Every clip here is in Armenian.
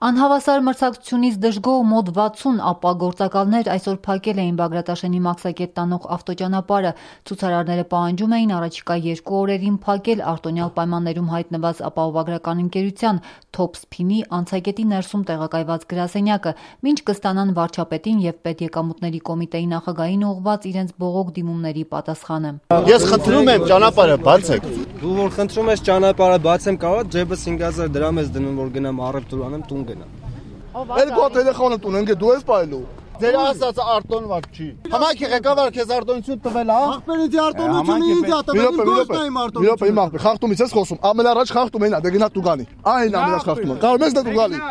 Անհավասար մրցակցությունից դժգոհ մոտ 60 ապագործակալներ այսօր փակել էին Բագրատաշենի Մաքսակետ տանող ավտոճանապարհը։ Ցուցարարները պահանջում էին առաջիկա 2 օրերին փակել արտոնյալ պայմաններում հայտնված ապահովագրական ընկերության Թոփսփինի անցակետի ներսում տեղակայված գրասենյակը, մինչ կստանան վարչապետին եւ պետեկամուտների կոմիտեի նախագահին ուղղված իրենց բողոք դիմումների պատասխանը։ Ես խնդրում եմ ճանապարհը բացեք։ Դու որ խնդրում ես ճանապարհը բացեմ կարող, ջեբս 5000 դրամ ես դնում որ գնամ առևտուր անեմ տուն գնամ։ Երկու տելեֆոնը տուն ընկե դու ես պայելու։ Ձեր ասածը արտոնված չի։ Համայնքի ղեկավարը քեզ արտոնություն տվել, հա։ Ախպերից արտոնությունը ինձ է տվել, գործն եմ արտոնություն։ Մի րոպե, իմ խախտումից ես խոսում։ Ամեն առաջ խախտում էնա, դե գնա դու գանի։ Այն ամենաշ խախտումը։ Կարող ես դու գալի։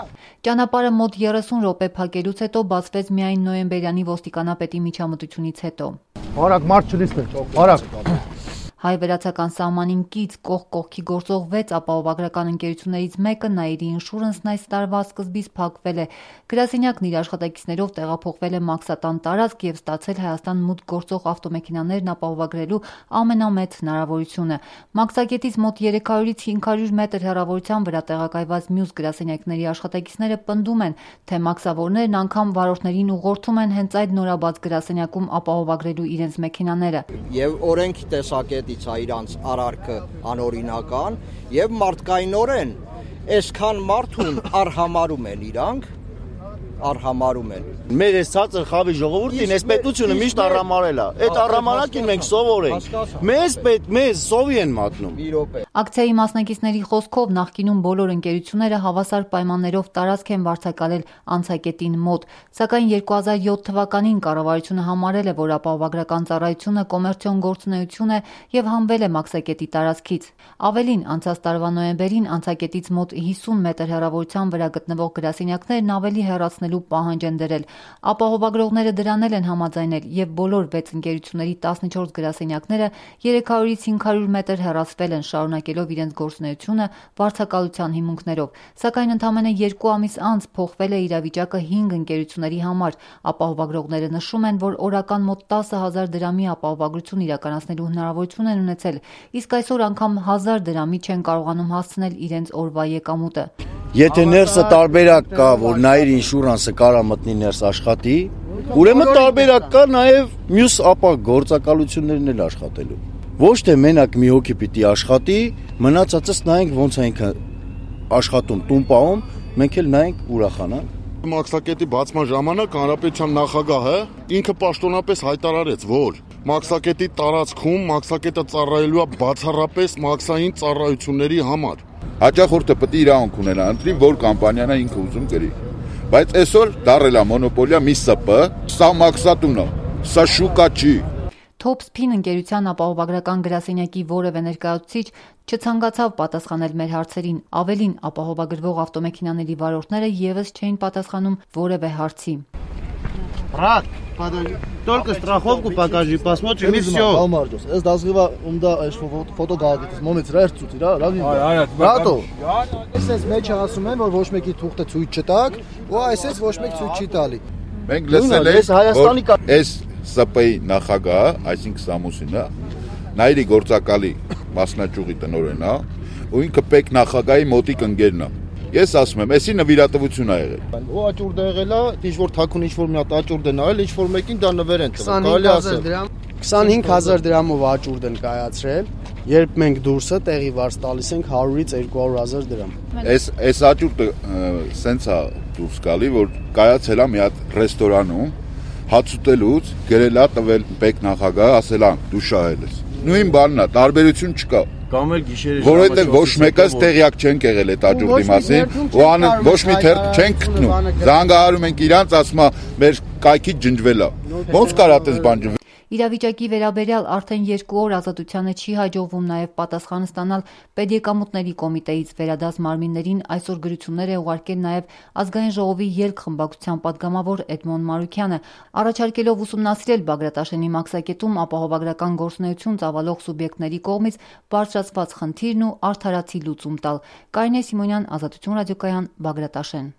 Ճանապարհը մոտ 30 րոպե փակելուց հետո բացվեց միայն նոյեմբերյանի ոստիկանապետի միջամտությունից հետո։ Արագ մարդ չլիսնեք, արագ։ Հայ-վերացական սահմանին կից կողք կողքի գործող 6 ապահովագրական ընկերություններից մեկը Nairi Insurance-ն այս տարվա սկզբից փակվել է։ Գրասենյակն իր աշխատակիցներով տեղափոխվել է Մաքսատան տարածք եւ ստացել Հայաստան մուտք գործող ավտոմեքենաներն ապահովագրելու ամենամեծ հնարավորությունը։ Մաքսակետից մոտ 300-ից 500 մետր հեռավորության վրա տեղակայված մյուս գրասենյակների աշխատակիցները պնդում են, թե մաքսավորներն անգամ վարորդներին ուղղորդում են հենց այդ նորաբաց գրասենյակում ապահովագրելու իրենց մեքենաները։ Եվ օրենքի տեսակետից իրանց արարքը անօրինական եւ մարդկայնորեն այսքան մարդուն արհամարում են իրանք արհամարում են մեր այս ցածր խավի ժողովուրդին այս պետությունը միշտ արհամարել է այդ արհամարակին մենք սովոր ենք մեզ սովի են մատնում Ակցիայի մասնակիցների խոսքով նախկինում բոլոր ընկերությունները հավասար պայմաններով տարածք են վարձակալել անցակետին մոտ, սակայն 2007 թվականին կառավարությունը համարել է, որ ապահովագրական ծառայությունը կոմերցիոն գործունեություն է եւ հանվել է Մաքսակետի տարածքից։ Ավելին, անցած տարվա նոյեմբերին անցակետից մոտ 50 մետր հեռավորության վրա գտնվող գրասենյակներն ավելի հեռացնելու պահանջ են դրել։ Ապահովագրողները դրանել են համաձայնել եւ բոլոր 6 ընկերությունների 14 գրասենյակները 300-ից 500 մետր հեռացվել են շարունակելով իրենց գործունեությունը վարձակալության հիմունքներով, սակայն ընդամենը 2 ամիս անց փոխվել է իրավիճակը 5 ընկերությունների համար։ Ապահովագրողները նշում են, որ օրական մոտ 10,000 դրամի ապահովագրություն իրականացնելու հնարավորություն են ունեցել, իսկ այսօր անգամ 1000 դրամի չեն կարողանում հասցնել իրենց օրվա եկամուտը։ Եթե ներսը տարբերակ կա, որ Nairi Insurance-ը կարա մտնի ներս աշխատի, ուրեմն տարբերակ կա նաև մյուս ապագործակալություններն էլ աշխատելու։ Ոչ թե մենակ մի հոգի պիտի աշխատի, մնացածս նայենք ոնց է ինքը աշխատում, տուն պահում, մենք էլ նայենք ուրախանանք։ Մաքսակետի բացման ժամանակ հանրապետության նախագահը ինքը պաշտոնապես հայտարարեց, որ Մաքսակետի տարածքում Մաքսակետը ծառայելու է բացառապես մաքսային ծառայությունների համար։ Հաճախորդը պետք է իրավունք ունենա, ընտրի որ կամպանիան է ինքը ուզում գրի։ Բայց այսօր դարել է մոնոպոլիա մի ՍՊ, սա մաքսատուն է, սա շուկա չի։ Թոփսփին ընկերության ապահովագրական գրասենյակի որևէ ներկայացուցիչ չցանկացավ պատասխանել մեր հարցերին, ավելին ապահովագրվող ավտոմեքենաների варորդները եւս չէին պատասխանում որևէ հարցի։ Брат, только страховку покажи, посмотрим и все. Ես դասգիվա ումդա այս ֆոտո գաղտնից մոնից ռեր ցույց իրա, լավ։ Բրատո։ Այսպես մեջ ասում են, որ ոչ մեկի թուղթը ցույց չտակ, ու այսպես ոչ մեկ ցույց չի տալի։ Մենք լսել ենք Հայաստանի այս ՍՊ-ի նախագահը, այսինքն Սամուսինը, Nairi գործակալի մասնաճյուղի տնօրենն է, ու ինքը պետք նախագահի մոտիկ ընկերն է։ Ես ասում եմ, էսի նվիրատվություն է եղել։ Ու աճուրդ եղել է, ինչ որ թաքուն ինչ որ մի հատ աճուրդ են արել, ինչ որ մեկին դա նվեր են տվել։ Կարելի ասել 25000 դրամով աճուրդ են կայացրել, երբ մենք դուրսը տեղի վարձ տալիս ենք 100-ից 200,000 դրամ։ Այս աճուրդը սենց է դուրս գալի, որ կայացել է մի հատ ռեստորանում, հաց ուտելուց գրել է տվել պետք նախագահը, ասել է դու շահել ես։ Նույն բանն է, տարբերություն չկա։ Կամ էլ գիշերը որովհետև ոչ մեկս տեղյակ չենք եղել այդ աճուրդի մասին, ու ոչ մի թերք չենք գտնում։ Զանգահարում ենք իրանց, ասում է մեր կայքից ջնջվել է։ Ոնց կարա այդպես բան ջնջվել։ Իրավիճակի վերաբերյալ արդեն 2 օր Ազատությանը չի հաջողվում նաև պատասխան ստանալ Պետեկամուտների կոմիտեից վերադաս մարմիններին այսօր գրություններ է ուղարկել նաև Ազգային ժողովի ելք խմբակցության պատգամավոր Էդմոն Մարուքյանը, առաջարկելով ուսումնասիրել Բագրատաշենի Մաքսակետում ապահովագրական գործունեություն ծավալող սուբյեկտների կողմից բարձրացված խնդիրն ու արդարացի լուծում տալ։ Կարինե Սիմոնյան, Ազատություն ռադիոկայան, Բագրատաշեն։